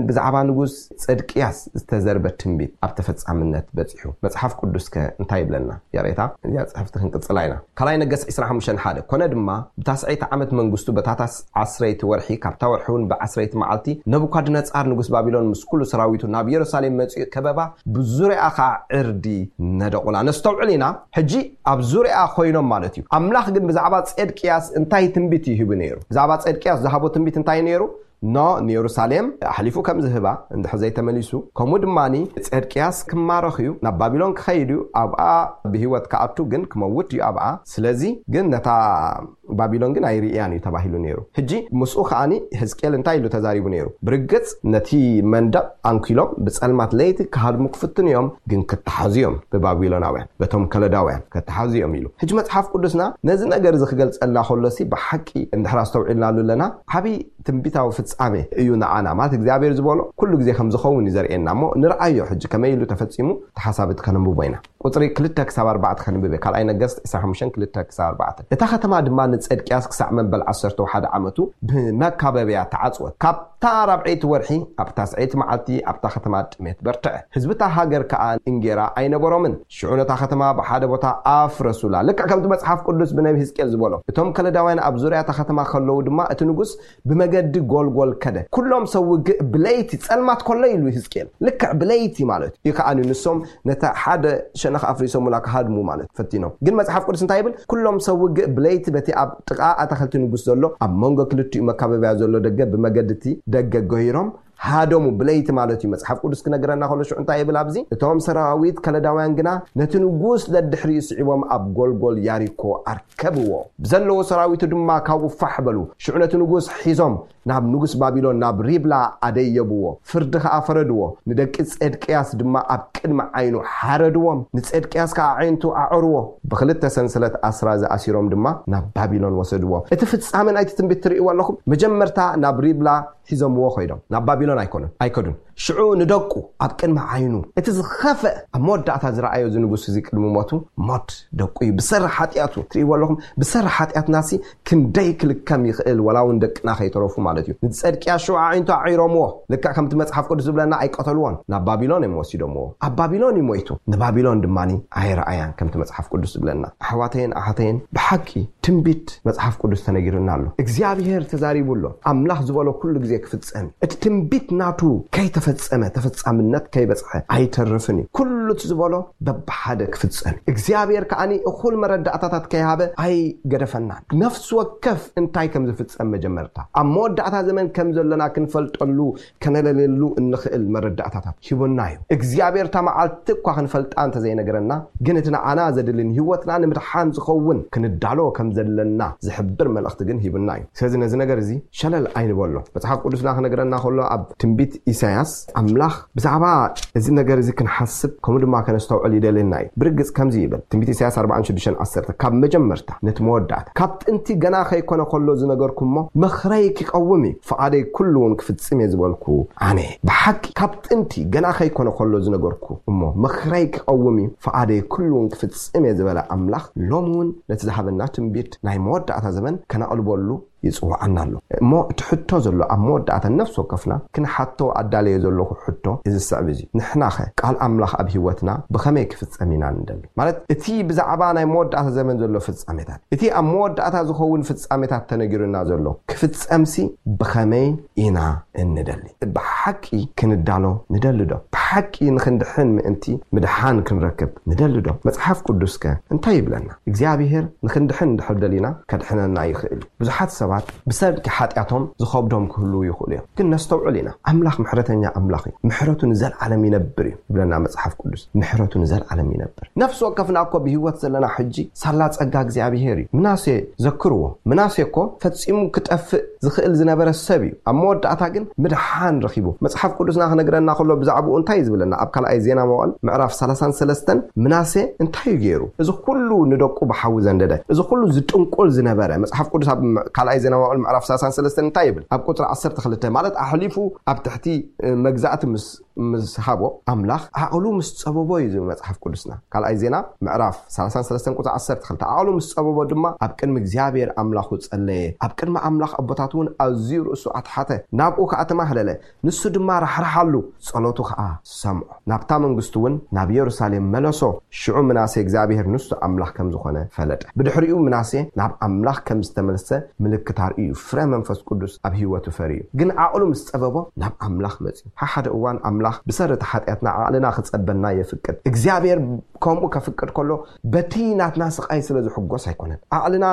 ብዛዕባ ንጉስ ጸድቅያስ ዝተዘርበ ትንቢት ኣብ ተፈጻምነት ነት በጺሑ። መጽሓፍ ቅዱስ ከ እንታይ ይብለና? ይቕሬታ፣ እዚኣ ጽሕፍቲ ክንቅጽላ ኢና። ካልኣይ ነገስት ዕስራን ሓሙሽተን ሓደ፣ ኮነ ድማ ብታስዐይቲ ዓመት መንግስቱ በታታስ ዓስረይቲ ወርሒ፣ ካብታ ወርሒ እውን ብዓስረይቲ መዓልቲ፣ ነቡካድነጻር ንጉስ ባቢሎን ምስ ኩሉ ሰራዊቱ ናብ የሩሳሌም መጺኡ ከበባ፣ ብዙርያኣ ኸዓ ዕርዲ ነደቑላ። ነስተውዕል ኢና። ሕጂ ኣብ ዙርያ ኮይኖም ማለት እዩ። ኣምላኽ ግን ብዛዕባ ጼድቅያስ እንታይ ትንቢት እዩ ሂቡ ነይሩ? ብዛዕባ ጼድቅያስ ዝሃቦ ትንቢት እንታይ ነይሩ? ኖ ንየሩሳሌም ኣሕሊፉ ከም ዝህባ እንድሕር ዘይተመሊሱ፣ ከምኡ ድማ ጼድቅያስ ክማረኽ እዩ፣ ናብ ባቢሎን ክኸይድ እዩ፣ ኣብኣ ብህይወት ክኣቱ ግን ክመውት እዩ ኣብኣ። ስለዚ ግን ነታ ባቢሎን ግን ኣይርእያን እዩ ተባሂሉ ነይሩ። ሕጂ ምስኡ ከዓኒ ህዝቅኤል እንታይ ኢሉ ተዛሪቡ ነይሩ? ብርግጽ ነቲ መንደቕ ኣንኪሎም ብጸልማት ለይቲ ክሃድሙ ክፍትኑ እዮም፣ ግን ክተሓዙ እዮም ብባቢሎናውያን፣ በቶም ከለዳውያን ክተሓዙ እዮም ኢሉ። ሕጂ መጽሓፍ ቅዱስና ነዚ ነገር እዚ ክገልጸልና ከሎሲ ብሓቂ እንድሕር ኣስተውዒልናሉ ኣለና ዓብዪ ትንቢታዊ ፍጻሜ እዩ ንዓና። ማለት እግዚኣብሔር ዝበሎ ኩሉ ግዜ ከም ዝኸውን እዩ ዘርእየና። እሞ ንርኣዮ ሕጂ ከመይ ኢሉ ተፈጺሙ፣ እቲ ሓሳብ እቲ ከነንብቦ ኢና። ቁጽሪ ክልተ ክሳብ ኣርባዕተ ከንብብ እየ። ካልኣይ ነገስት ዕስራን ሓሙሽተን ክልተ ክሳብ ኣርባዕተ። እታ ከተማ ድማ ንጸድቅያስ ክሳዕ መበል ዓሰርተ ሓደ ዓመቱ ብመካበብያ ተዓጽወት። ካብታ ራብዐይቲ ወርሒ ኣብታ ታስዐይቲ መዓልቲ ኣብታ ከተማ ጥሜት በርትዐ። ህዝቢ እታ ሃገር ከኣ እንጌራ ኣይነበሮምን። ሽዑ ነታ ከተማ ብሓደ ቦታ ኣፍረሱላ። ልክዕ ከምቲ መጽሓፍ ቅዱስ ብነቢ ህዝቅኤል ዝበሎ፣ እቶም ከለዳውያን ኣብ ዙርያ እታ ከተማ ከለዉ ድማ እቲ ንጉስ ብመገዲ ጎልጎል ከደ። ኩሎም ሰብ ውግእ ብለይቲ ጸልማት ከሎ ኢሉ ህዝቅኤል። ልክዕ ብለይቲ ማለት እዩ። ከኣ ንሶም ነታ ሓደ ሸነኽ ኣፍሪሶምላ ክሃድሙ ማለት ፈቲኖም። ግን መጽሓፍ ቅዱስ እንታይ ይብል? ኩሎም ሰብ ውግእ ብለይቲ በቲ ኣብ ጥቓ ኣታኽልቲ ንጉስ ዘሎ ኣብ መንጎ ክልቲኡ መካበብያ ዘሎ ደገ ብመገዲ እቲ ደገ ገይሮም ሃደሙ። ብለይቲ ማለት እዩ። መጽሓፍ ቅዱስ ክነግረና ከሎ ሽዑ እንታይ ይብል ኣብዚ? እቶም ሰራዊት ከለዳውያን ግና ነቲ ንጉስ ደድሕሪኡ ስዒቦም ኣብ ጎልጎል ያሪኮ ኣርከብዎ። ብዘለዎ ሰራዊቱ ድማ ካብኡ ፋሕ በሉ። ሽዑ ነቲ ንጉስ ሒዞም ናብ ንጉስ ባቢሎን ናብ ሪብላ ኣደየብዎ። ፍርዲ ኸኣ ፈረድዎ። ንደቂ ጼድቅያስ ድማ ኣብ ቅድሚ ዓይኑ ሓረድዎም። ንጼድቅያስ ከኣ ኣዒንቱ ኣዐርዎ። ብኽልተ ሰንሰለት ኣስራዚ ኣሲሮም ድማ ናብ ባቢሎን ወሰድዎ። እቲ ፍጻመ ናይቲ ትንቢት ትርእይዎ ኣለኹም። መጀመርታ ናብ ሪብላ ሒዞምዎ ኮይዶም። ናብ ባቢሎን ኣይኮኑን፣ ኣይከዱን። ሽዑ ንደቁ ኣብ ቅድሚ ዓይኑ እቲ ዝኸፍአ ኣብ መወዳእታ ዝረኣዮ እዚ ንጉስ እዚ ቅድሚ ሞቱ ሞት ደቁ እዩ። ብሰሪ ሓጢኣቱ ትርእይዎ ኣለኹም። ብሰሪ ሓጢኣትናሲ ክንደይ ክልከም ይኽእል፣ ወላ እውን ደቅና ከይተረፉ ማለት እዩ። ንጸድቅያስ ሽዑ ኣዒንቱ ኣዒሮምዎ። ልክዕ ከምቲ መጽሓፍ ቅዱስ ዝብለና ኣይቀተልዎን። ናብ ባቢሎን እዮም ወሲዶምዎ። ኣብ ባቢሎን እዩ ሞይቱ። ንባቢሎን ድማ ኣይረኣያን ከምቲ መጽሓፍ ቅዱስ ዝብለና። ኣሕዋተይን ኣሓተይን ብሓቂ ትንቢት መጽሓፍ ቅዱስ ተነጊሩና ኣሎ። እግዚኣብሔር ተዛሪቡ ኣሎ። ኣምላኽ ዝበሎ ኩሉ ግዜ ክፍጸም እዩ። እቲ ትንቢት ናቱ ከይተፈጸመ፣ ተፈጻምነት ከይበጽሐ ኣይተርፍን እዩ። ኩሉ እቲ ዝበሎ በብሓደ ክፍጸም እዩ። እግዚኣብሔር ከኣኒ እኹል መረዳእታታት ከይሃበ ኣይገደፈናን። ነፍሲ ወከፍ እንታይ ከም ዝፍጸም መጀመርታ ኣብ መወዳእታ ዘመን ከም ዘለና ክንፈልጠሉ ከነለለሉ እንኽእል መረዳእታታት ሂቡና እዩ። እግዚኣብሔር እታ መዓልቲ እኳ ክንፈልጣ እንተዘይነገረና፣ ግን እቲ ንዓና ዘድልን ህይወትና ንምድሓን ዝኸውን ክንዳሎ ከም ዘለና ዝሕብር መልእኽቲ ግን ሂቡና እዩ። ስለዚ ነዚ ነገር እዚ ሸለል ኣይንበሎ። መጽሓፍ ቅዱስና ክነግረና ከሎ ኣብ ትንቢት ኢሳያስ ኣምላኽ ብዛዕባ እዚ ነገር እዚ ክንሓስብ ከምኡ ድማ ከነስተውዕል ይደልየና እዩ። ብርግጽ ከምዚ ይብል። ትንቢት ኢሳያስ ኣርባዓን ሽዱሽተን ዓሰርተ፣ ካብ መጀመርታ ነቲ መወዳእታ፣ ካብ ጥንቲ ገና ከይኮነ ከሎ ዝነገርኩ እሞ ምኽረይ ክቐውም እዩ፣ ፍቓደይ ኩሉ እውን ክፍጽም እየ ዝበልኩ ኣነ። ብሓቂ ካብ ጥንቲ ገና ከይኮነ ከሎ ዝነገርኩ እሞ ምኽረይ ክቐውም እዩ፣ ፍቓደይ ኩሉ እውን ክፍጽም እየ ዝበለ ኣምላኽ ሎሚ እውን ነቲ ዝሃበና ትንቢት ናይ መወዳእታ ዘመን ከነቕልበሉ ይጽውዓና ኣሎ። እሞ እቲ ሕቶ ዘሎ ኣብ መወዳእታ ነፍሲ ወከፍና ክንሓቶ ኣዳለየ ዘለኹ ሕቶ እዚ ዝስዕብ እዚ። ንሕናኸ ቃል ኣምላኽ ኣብ ህይወትና ብኸመይ ክፍጸም ኢና ንደሊ? ማለት እቲ ብዛዕባ ናይ መወዳእታ ዘመን ዘሎ ፍጻሜታት፣ እቲ ኣብ መወዳእታ ዝኸውን ፍጻሜታት ተነጊሩና ዘሎ ክፍጸምሲ ብኸመይ ኢና እንደሊ? ብሓቂ ክንዳሎ ንደሊ ዶ? ብሓቂ ንኽንድሕን ምእንቲ ምድሓን ክንረክብ ንደሊ ዶ? መጽሓፍ ቅዱስከ እንታይ ይብለና? እግዚኣብሔር ንኽንድሕን እንድሕር ደሊና ከድሕነና ይኽእል እዩ። ብዙሓት ሰባት ብሰንኪ ሓጢኣቶም ዝኸብዶም ክህልዉ ይኽእሉ እዮም። ግን ነስተውዕል ኢና። ኣምላኽ ምሕረተኛ ኣምላኽ እዩ። ምሕረቱ ንዘለዓለም ይነብር እዩ ይብለና መጽሓፍ ቅዱስ። ምሕረቱ ንዘለዓለም ይነብር። ነፍሲ ወከፍና እኮ ብህይወት ዘለና ሕጂ ሳላ ጸጋ እግዚኣብሔር እዩ። ምናሴ ዘክርዎ። ምናሴ እኮ ፈጺሙ ክጠፍእ ዝኽእል ዝነበረ ሰብ እዩ። ኣብ መወዳእታ ግን ምድሓን ረኺቡ። መጽሓፍ ቅዱስና ክነግረና ከሎ ብዛዕባኡ እንታይ እዩ ዝብለና? ኣብ ካልኣይ ዜና መዋዕል ምዕራፍ ሰላሳን ሰለስተን ምናሴ እንታይ እዩ ገይሩ? እዚ ኩሉ ንደቁ ብሓዊ ዘንደደ፣ እዚ ኩሉ ዝጥንቁል ዝነበረ፣ መጽሓፍ ቅዱስ ኣብ ካልኣይ ዜና መዋዕል ምዕራፍ ሰላሳን ሰለስተን እንታይ ይብል? ኣብ ቁጽሪ ዓሰርተ ክልተ ማለት ኣሕሊፉ ኣብ ትሕቲ መግዛእቲ ምስ ምስ ሃቦ ኣምላኽ ዓቕሉ ምስ ጸበቦ እዩ ዝብል መጽሓፍ ቅዱስና። ካልኣይ ዜና ምዕራፍ ሰላሳን ሰለስተን ቁጽሪ ዓሰርተ ክልተ፣ ዓቕሉ ምስ ጸበቦ ድማ ኣብ ቅድሚ እግዚኣብሔር ኣምላኹ ጸለየ። ኣብ ቅድሚ ኣምላኽ ኣቦታት እውን ኣዝዩ ርእሱ ኣትሓተ። ናብኡ ከኣ ተማህለለ። ንሱ ድማ ራሕርሓሉ፣ ጸሎቱ ከኣ ሰምዖ። ናብታ መንግስቱ እውን ናብ የሩሳሌም መለሶ። ሽዑ ምናሴ እግዚኣብሔር ንሱ ኣምላኽ ከም ዝኾነ ፈለጠ። ብድሕሪኡ ምናሴ ናብ ኣምላኽ ከም ዝተመልሰ ምልክት ኣርእዩ። ፍረ መንፈስ ቅዱስ ኣብ ህይወቱ ፈርዩ። ግን ዓቕሉ ምስ ጸበቦ ናብ ኣምላኽ መጽዩ። ሓሓደ እዋን ኣምላኽ ብሰሪ እቲ ሓጢኣትና ዓቕልና ክጸበና የፍቅድ። እግዚኣብሔር ከምኡ ከፍቅድ ከሎ በቲ ናትና ስቓይ ስለ ዝሕጎስ ኣይኮነን። ዓቕልና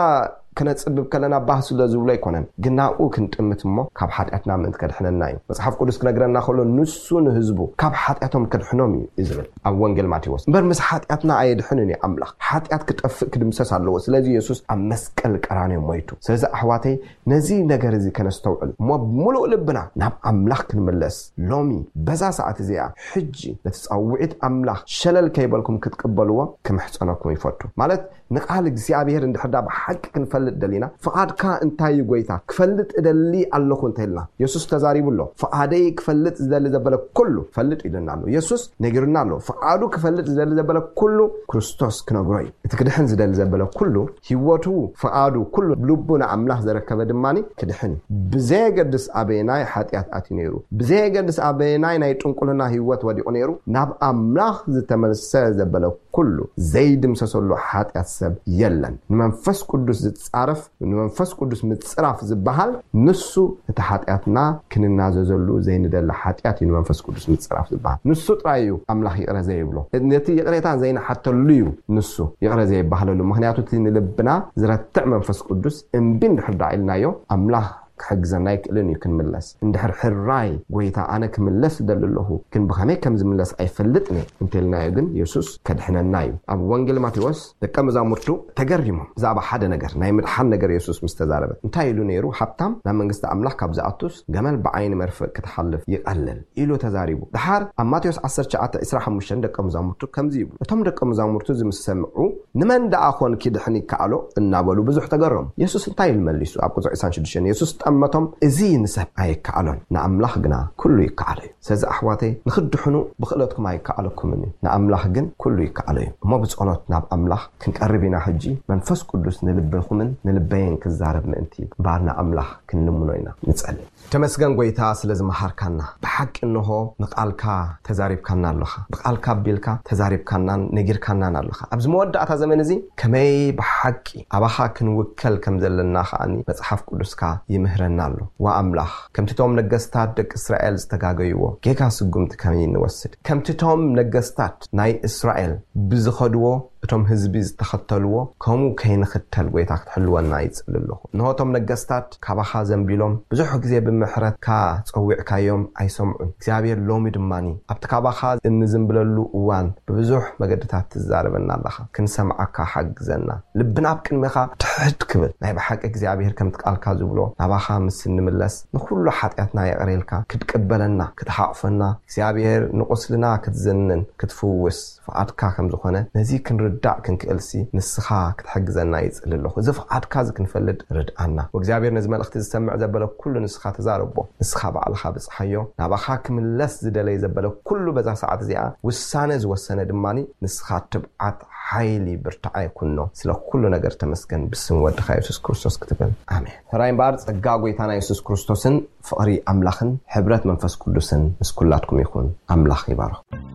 ከነጽብብ ከለና ባህ ስለ ዝብሎ ኣይኮነን። ግን ናብኡ ክንጥምት እሞ ካብ ሓጢኣትና ምእንቲ ከድሕነና እዩ። መጽሓፍ ቅዱስ ክነግረና ከሎ ንሱ ንህዝቡ ካብ ሓጢኣቶም ከድሕኖም እዩ እዩ ዝብል ኣብ ወንጌል ማቴዎስ። እምበር ምስ ሓጢኣትና ኣየድሕንን እዩ ኣምላኽ። ሓጢኣት ክጠፍእ ክድምሰስ ኣለዎ። ስለዚ የሱስ ኣብ መስቀል ቀራንዮ ሞይቱ። ስለዚ ኣሕዋተይ ነዚ ነገር እዚ ከነስተውዕል እሞ ብምሉእ ልብና ናብ ኣምላኽ ክንምለስ ሎሚ በዛ ሰዓት እዚኣ ሕጂ ነቲ ጻውዒት ኣምላኽ ሸለል ከይበልኩም ክትቅበልዎ ክምሕጸነኩም ይፈቱ። ማለት ንቃል እግዚኣብሔር እንድሕር ዳ ብሓቂ ክንፈልጥ ደሊና፣ ፍቓድካ እንታይ እዩ ጎይታ? ክፈልጥ እደሊ ኣለኹ እንተ ኢልና፣ የሱስ ተዛሪቡ ኣሎ። ፍቓደይ ክፈልጥ ዝደሊ ዘበለ ኩሉ ፈልጥ ኢሉና ኣሎ። የሱስ ነጊሩና ኣሎ። ፍቓዱ ክፈልጥ ዝደሊ ዘበለ ኩሉ ክርስቶስ ክነግሮ እዩ። እቲ ክድሕን ዝደሊ ዘበለ ኩሉ ህይወቱ፣ ፍቓዱ፣ ኩሉ ልቡ ንኣምላኽ ዘረከበ ድማ ክድሕን እዩ። ብዘየገድስ ኣበየናይ ሓጢኣት ኣትዩ ነይሩ፣ ብዘየገድስ ኣበየናይ ናይ ጥንቁልና ህይወት ወዲቑ ነይሩ፣ ናብ ኣምላኽ ዝተመልሰ ዘበለ ኩሉ ዘይድምሰሰሉ ሓጢኣት ሰብ የለን። ንመንፈስ ቅዱስ ዝጻረፍ፣ ንመንፈስ ቅዱስ ምጽራፍ ዝበሃል ንሱ እቲ ሓጢኣትና ክንናዘዘሉ ዘይንደሊ ሓጢኣት እዩ ንመንፈስ ቅዱስ ምጽራፍ ዝበሃል። ንሱ ጥራይ እዩ ኣምላኽ ይቕረ ዘይብሎ። ነቲ ይቕሬታ ዘይንሓተሉ እዩ ንሱ ይቕረ ዘይበሃለሉ። ምኽንያቱ እቲ ንልብና ዝረትዕ መንፈስ ቅዱስ እምቢ እንድሕር ደኣ ኢልናዮ ኣምላኽ ክሕግዘና ኣይክእልን እዩ ክንምለስ። እንድሕር ሕራይ ጎይታ ኣነ ክምለስ እደሊ ኣለኹ ግን ብኸመይ ከም ዝምለስ ኣይፈልጥን እየ እንተልናዮ ግን የሱስ ከድሕነና እዩ። ኣብ ወንጌል ማቴዎስ ደቀ መዛሙርቱ ተገሪሞም ብዛዕባ ሓደ ነገር ናይ ምድሓን ነገር የሱስ ምስ ተዛረበ እንታይ ኢሉ ነይሩ? ሃብታም ናብ መንግስቲ ኣምላኽ ካብ ዝኣቱስ ገመል ብዓይኒ መርፍእ ክትሓልፍ ይቐልል ኢሉ ተዛሪቡ። ድሓር ኣብ ማቴዎስ ዓሰርተ ትሽዓተ ዕስራ ሓሙሽተ ደቀ መዛሙርቱ ከምዚ ይብሉ። እቶም ደቀ መዛሙርቱ እዚ ምስ ሰምዑ ንመን ደኣ ኾን ኪድሕን ይከኣሎ እናበሉ ብዙሕ ተገረሙ። የሱስ እንታይ ኢሉ መሊሱ? ኣብ ቁጽሪ ዕስራን ሽዱሽተን የሱስ ጠመቶም፣ እዚ ንሰብ ኣይከኣሎን፣ ንኣምላኽ ግና ኩሉ ይከኣሎ እዩ። ስለዚ ኣሕዋተይ ንኽድሕኑ ብኽእለትኩም ኣይከኣለኩምን እዩ፣ ንኣምላኽ ግን ኩሉ ይከኣሎ እዩ። እሞ ብጸሎት ናብ ኣምላኽ ክንቀርብ ኢና። ሕጂ መንፈስ ቅዱስ ንልብኹምን ንልበይን ክዛረብ ምእንቲ እምበኣር ንኣምላኽ ክንልምኖ ኢና። ንጸሊ። ተመስገን ጎይታ ስለ ዝመሃርካና። ብሓቂ እንሆ ንቓልካ ተዛሪብካና ኣለኻ። ብቓልካ ኣቢልካ ተዛሪብካናን ነጊርካናን ኣለኻ። ኣብዚ መወዳእታ ዘመን እዚ ከመይ ብሓቂ ኣባኻ ክንውከል ከም ዘለና ከኣኒ መጽሓፍ ቅዱስካ ይምህረና ኣሎ። ዋ ኣምላኽ፣ ከምቲ እቶም ነገስታት ደቂ እስራኤል ዝተጋገይዎ ጌጋ ስጉምቲ ከመይ ንወስድ፣ ከምቲ እቶም ነገስታት ናይ እስራኤል ብዝኸድዎ እቶም ህዝቢ ዝተኸተልዎ ከምኡ ከይንኽተል ጎይታ ክትሕልወና ይጽሊ ኣለኹ። እንሆ እቶም ነገስታት ካባኻ ዘንቢሎም ብዙሕ ግዜ ብምሕረትካ ጸዊዕካዮም ኣይሰምዑን። እግዚኣብሔር ሎሚ ድማኒ ኣብቲ ካባኻ እንዝንብለሉ እዋን ብብዙሕ መገድታት ትዛረበና ኣለኻ። ክንሰምዓካ ሓግዘና። ልብና ኣብ ቅድሜኻ ትሕት ክብል ናይ ብሓቂ እግዚኣብሔር ከምቲ ቃልካ ዝብሎ ናባኻ ምስ እንምለስ ንኹሉ ሓጢኣትና የቕሬልካ ክትቅበለና ክትሓቕፈና እግዚኣብሔር ንቁስልና ክትዝንን ክትፍውስ ፍቓድካ ከም ዝኾነ ነዚ ክንርዳእ ክንክእልሲ ንስኻ ክትሕግዘና ይጽሊ ኣለኹ። እዚ ፍቓድካ እዚ ክንፈልጥ ርድኣና። ወእግዚኣብሔር ነዚ መልእኽቲ ዝሰምዕ ዘበለ ኩሉ ንስኻ ተዛረቦ። ንስኻ ባዕልኻ ብጽሓዮ። ናባኻ ክምለስ ዝደለየ ዘበለ ኩሉ በዛ ሰዓት እዚኣ ውሳነ ዝወሰነ ድማኒ ንስኻ ትብዓት፣ ሓይሊ፣ ብርትዓ ይኩኖ። ስለ ኩሉ ነገር ተመስገን ብስም ወድኻ የሱስ ክርስቶስ ክትብል ኣሜን። ሕራይ እምበኣር ጸጋ ጎይታና የሱስ ክርስቶስን ፍቕሪ ኣምላኽን ሕብረት መንፈስ ቅዱስን ምስ ኩላትኩም ይኹን። ኣምላኽ ይባርኹ።